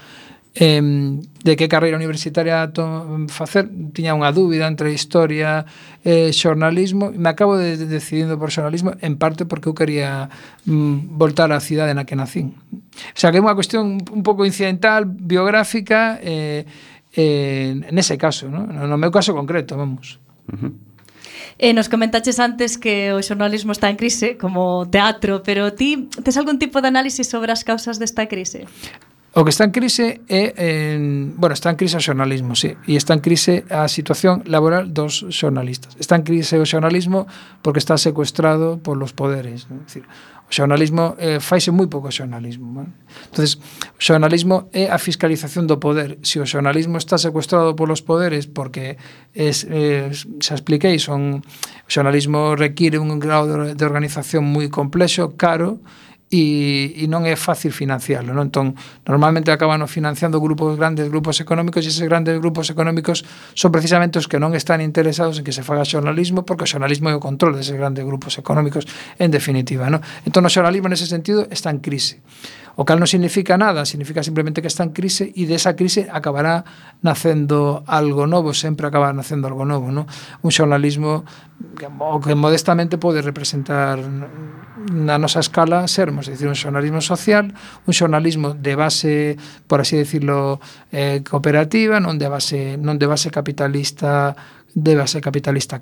de que carreira universitaria facer, tiña unha dúbida entre historia e xornalismo, e me acabo decidindo por xornalismo, en parte porque eu quería voltar á cidade na que nacín. O sea, que é unha cuestión un pouco incidental, biográfica, nese caso, non? No meu caso concreto, vamos. Nos comentaches antes que o xornalismo está en crise, como teatro, pero ti tes algún tipo de análisis sobre as causas desta crise? O que está en crise está en crise o xornalismo, sí, e está en crise a situación laboral dos xornalistas. Está en crise o xornalismo porque está secuestrado polos poderes, ¿no? Es decir, o xornalismo faise moi pouco xornalismo, ¿no? Entonces, o xornalismo é a fiscalización do poder. Se o xornalismo está secuestrado polos poderes porque xa expliquei, o xornalismo require un grado de organización moi complexo, caro, e non é fácil financiarlo, non? Entón, normalmente acaban financiando grandes grupos económicos, e eses grandes grupos económicos son precisamente os que non están interesados en que se faga xornalismo, porque o xornalismo é o control deses grandes grupos económicos, en definitiva, non? Entón, o xornalismo nese sentido está en crise. O cal non significa nada, significa simplemente que está en crise, e desa crise acabará nacendo algo novo, sempre acabará nacendo algo novo, non? Un xornalismo que modestamente pode representar na nosa escala sermos, é dicir, un xornalismo social, un xornalismo de base, por así decirlo, cooperativa, non de base capitalista,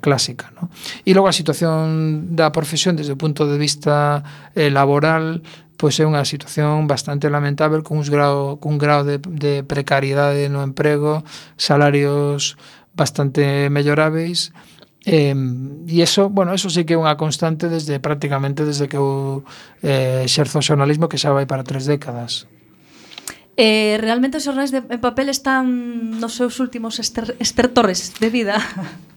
clásica, ¿no? E logo a situación da profesión desde o punto de vista laboral, pois é unha situación bastante lamentável, cun grao de precariedade no emprego, salarios bastante melloráveis, e eso sí que é unha constante prácticamente desde que eu exerzo o xornalismo, que xa vai para 3 décadas. Realmente os xornais en papel están nos seus últimos estertores de vida?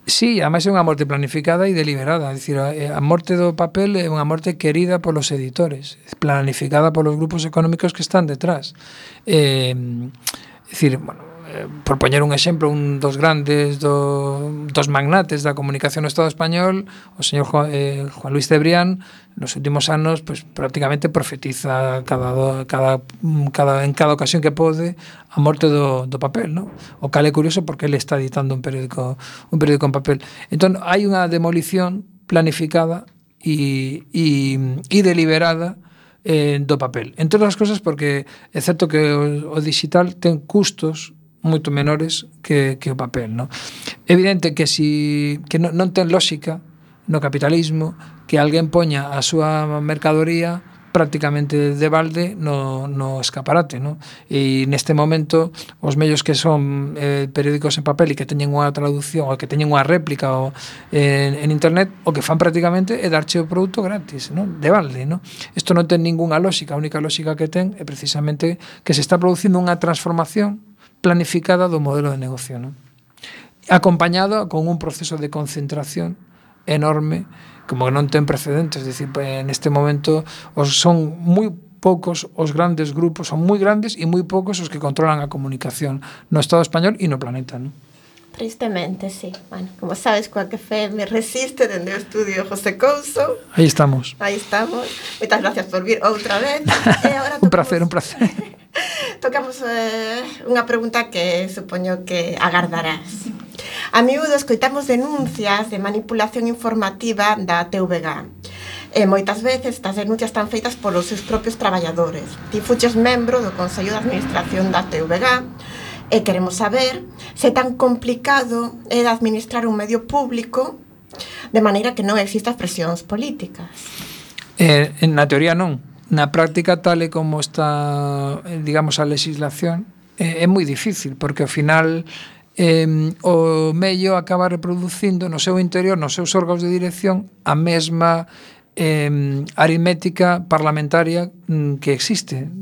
Sí, ademais é unha morte planificada e deliberada. É dicir, a morte do papel é unha morte querida polos editores, planificada polos grupos económicos que están detrás. É dicir, por poñer un exemplo, un dos grandes dos magnates da comunicación no Estado español, o señor Juan Luis Cebrián, nos últimos anos, pues, prácticamente profetiza en cada ocasión que pode a morte do papel, ¿no? O cal é curioso porque ele está editando un periódico en papel. Entón, hai unha demolición planificada e deliberada do papel. Entre outras cosas porque é certo que o digital ten custos moito menores que o papel, ¿no? Evidente que non ten lógica no capitalismo que alguén poña a súa mercadoría prácticamente de balde no escaparate, ¿no? E neste momento os medios que son periódicos en papel e que teñen unha traducción ou que teñen unha réplica en internet, o que fan prácticamente é darche o produto gratis, ¿no? De balde, ¿no? Isto non ten ningunha lógica. A única lógica que ten é precisamente que se está producindo unha transformación planificada do modelo de negocio, ¿no? Acompañado con un proceso de concentración enorme, como que non ten precedentes. Es decir, neste momento son moi poucos os grandes grupos, son moi grandes e moi poucos os que controlan a comunicación no Estado español e no planeta, ¿no? Tristemente, sí. Bueno, como sabes, Quack FM resiste dende o estudio José Couso. Aí estamos. Moitas gracias por vir outra vez. E agora un placer. Tocamos unha pregunta que supoño que agardarás. A miúdo escoitamos denuncias de manipulación informativa da TVG. E moitas veces estas denuncias están feitas polos seus propios traballadores. Ti fuches membro do Consello de Administración da TVG e queremos saber se tan complicado é de administrar un medio público de maneira que non existan presións políticas. Na teoría non. Na práctica, tal e como está, digamos, a legislación, é moi difícil, porque ao final o medio acaba reproducindo no seu interior, nos seus órganos de dirección, a mesma aritmética parlamentaria que existe,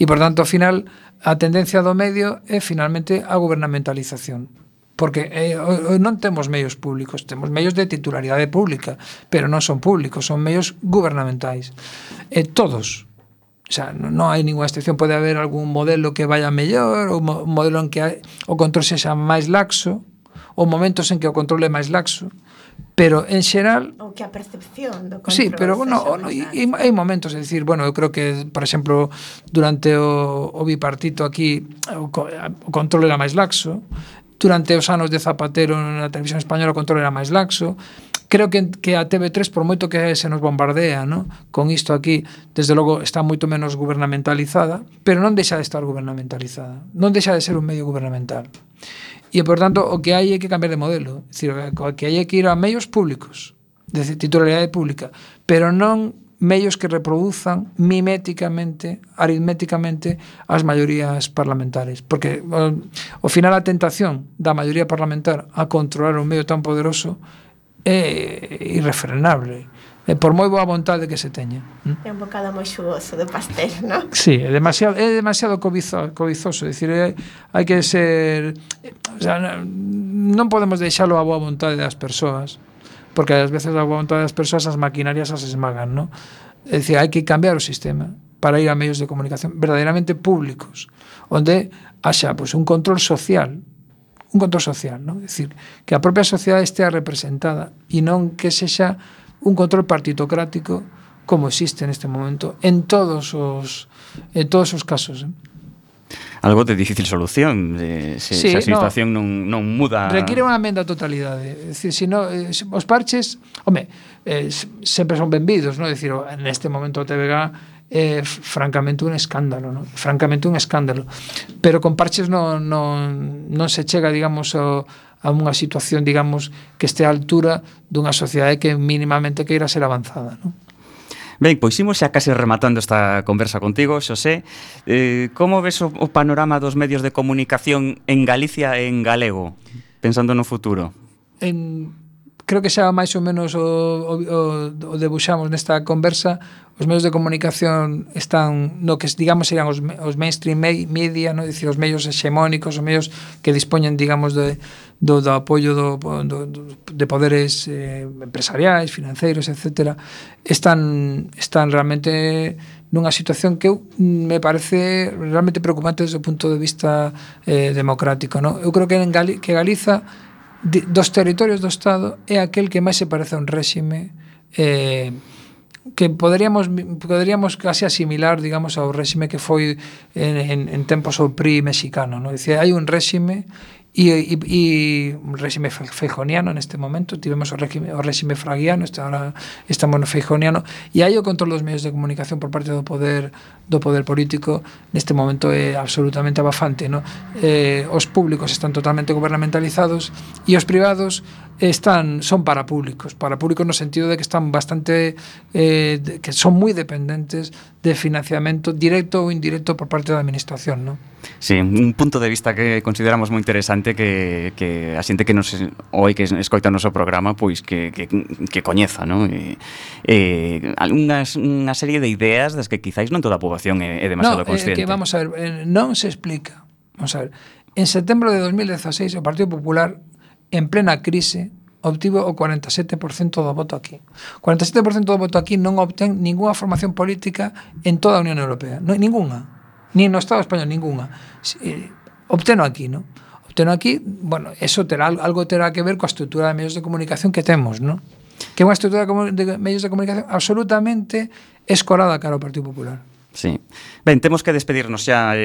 e por tanto ao final a tendencia do medio é finalmente a gubernamentalización, porque non temos medios públicos, temos medios de titularidade pública, pero non son públicos, son medios gubernamentais, todos. O sea, non hai ninguna excepción, pode haber algún modelo que vaya mellor, ou un modelo en que o control sexa máis laxo, ou momentos en que o control é máis laxo, pero en xeral... Ou que a percepción do control... Sí, pero bueno, hai momentos, é dicir, bueno, eu creo que, por exemplo, durante o bipartito aquí, o control era máis laxo, durante os anos de Zapatero na televisión española o control era máis laxo. Creo que a TV3, por moito que se nos bombardea, ¿no?, con isto aquí, desde logo está moito menos gubernamentalizada, pero non deixa de estar gubernamentalizada, non deixa de ser un medio gubernamental. E, por tanto, o que hai é que cambiar de modelo, é dicir, o que hai é que ir a medios públicos, de titularidade pública, pero non medios que reproduzan miméticamente, aritméticamente, as maiorías parlamentarias, porque ao final a tentación da maioría parlamentar a controlar un medio tan poderoso é irrefrenable, por moi boa vontade que se teña. É un bocado moi xugoso do pastel, non? Sí, é demasiado cobizoso, é dicir, hai que ser, o sea, non podemos deixalo a boa vontade das persoas, porque ás veces a boa vontade das persoas as maquinarias as esmagan, non? É dicir, hai que cambiar o sistema para ir a medios de comunicación verdadeiramente públicos, onde haxa pues, un control social, ¿no? É dicir, que a propia sociedade estea representada e non que sexa un control partitocrático como existe neste momento en todos os casos. Algo de difícil solución, se a situación non muda. Requiere unha emenda a totalidade. É dicir, os parches, sempre son benvidos, non? É dicir, neste momento o TVG é francamente un escándalo, ¿no? Francamente un escándalo. Pero con parches non se chega, digamos, a unha situación, digamos, que este a altura dunha sociedade que mínimamente queira ser avanzada, ¿no? Ben, pois imos xa case rematando esta conversa contigo, Xosé. Como ves o panorama dos medios de comunicación en Galicia e en galego, pensando no futuro? Creo que xa máis ou menos o debuxamos nesta conversa. Os medios de comunicación están no que, digamos, serían os mainstream media, ¿no? Dicir, os medios hexemónicos, os medios que dispoñen, digamos, do apoio de poderes empresariais, financeiros, etc. Están realmente nunha situación que me parece realmente preocupante desde o punto de vista democrático, ¿no? Eu creo que Galiza, dos territorios do Estado, é aquel que máis se parece a un réxime que poderíamos casi asimilar, digamos, ao réxime que foi en tempos o PRI mexicano, ¿no? Dicir, hai un réxime e un réxime feijoniano neste momento, tivemos o réxime fraguiano, ahora estamos no feijoniano, e hai o control dos medios de comunicación por parte do poder político. Neste momento é absolutamente abafante, ¿no? Os públicos están totalmente gubernamentalizados e os privados son parapúblicos no sentido de que están bastante que son moi dependentes de financiamento directo ou indirecto por parte da administración, ¿no? Sí, un punto de vista que consideramos moi interesante que a xente que nos oi que escoita o noso programa pois que coñeza, ¿no? Unha serie de ideas das que quizáis non toda a poboación é demasiado consciente. Que vamos a ver, non se explica. Vamos a ver, en setembro de 2016 o Partido Popular, en plena crise, obtivo o 47% do voto aquí. O 47% do voto aquí non obtén ninguna formación política en toda a Unión Europea, ninguna. Ni no Estado español, ninguna. Obteno aquí, ¿no? Obteno aquí, bueno, eso algo terá que ver coa estrutura de medios de comunicación que temos, ¿no? Que é unha estrutura de medios de comunicación absolutamente escorada cara ao Partido Popular. Sí. Ben, temos que despedirnos xa,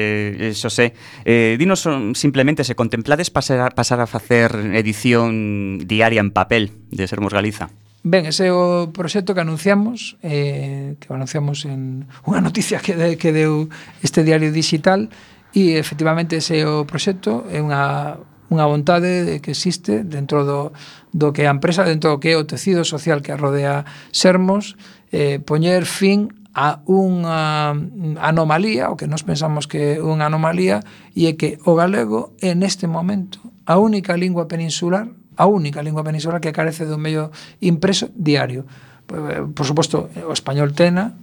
Xosé. Dinos simplemente se contemplades pasar a facer edición diaria en papel de Sermos Galiza. Ben, ese é o proxecto que anunciamos en unha noticia que deu este diario digital, e efectivamente ese é o proxecto, é unha vontade que existe dentro do que é a empresa, dentro do que é o tecido social que rodea Sermos, poñer fin a unha anomalía, o que nos pensamos que é unha anomalía, e é que o galego é neste momento a única lingua peninsular que carece dun medio impreso diario. Por suposto, o español tena,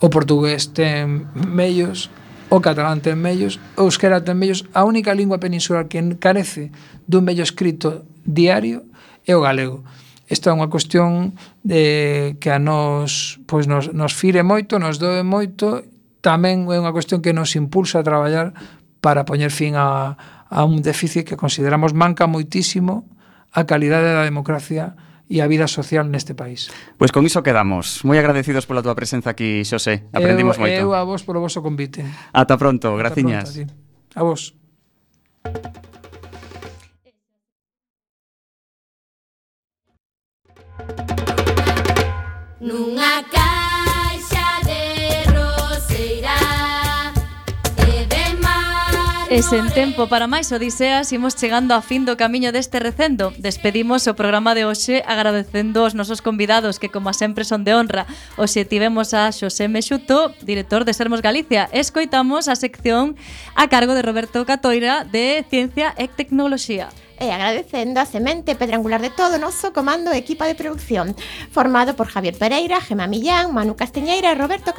o portugués ten medios, o catalán ten medios, o euskera ten medios. A única lingua peninsular que carece dun medio escrito diario é o galego. Esta é unha cuestión que a nos fire moito, nos doe moito, tamén é unha cuestión que nos impulsa a traballar para poñer fin a un déficit que consideramos manca moitísimo a calidade da democracia e a vida social neste país. Pois con iso quedamos. Moi agradecidos pola túa presenza aquí, Xosé. Aprendimos moito. Eu a vos polo voso convite. Ata pronto, graciñas. A vos. Nunha caixa de roseira e de mar. E sen tempo para máis odiseas, imos chegando a fin do camiño deste recendo. Despedimos o programa de hoxe agradecendo aos nosos convidados que, como sempre, son de honra. Hoxe tivemos a Xosé Mexuto, director de Sermos Galicia. Escoitamos a sección a cargo de Roberto Catoira de Ciencia e Tecnoloxía. E agradecendo a semente pedrangular de todo o noso comando e equipa de producción, formado por Javier Pereira, Gemma Millán, Manu Castiñeira e Roberto Catoira.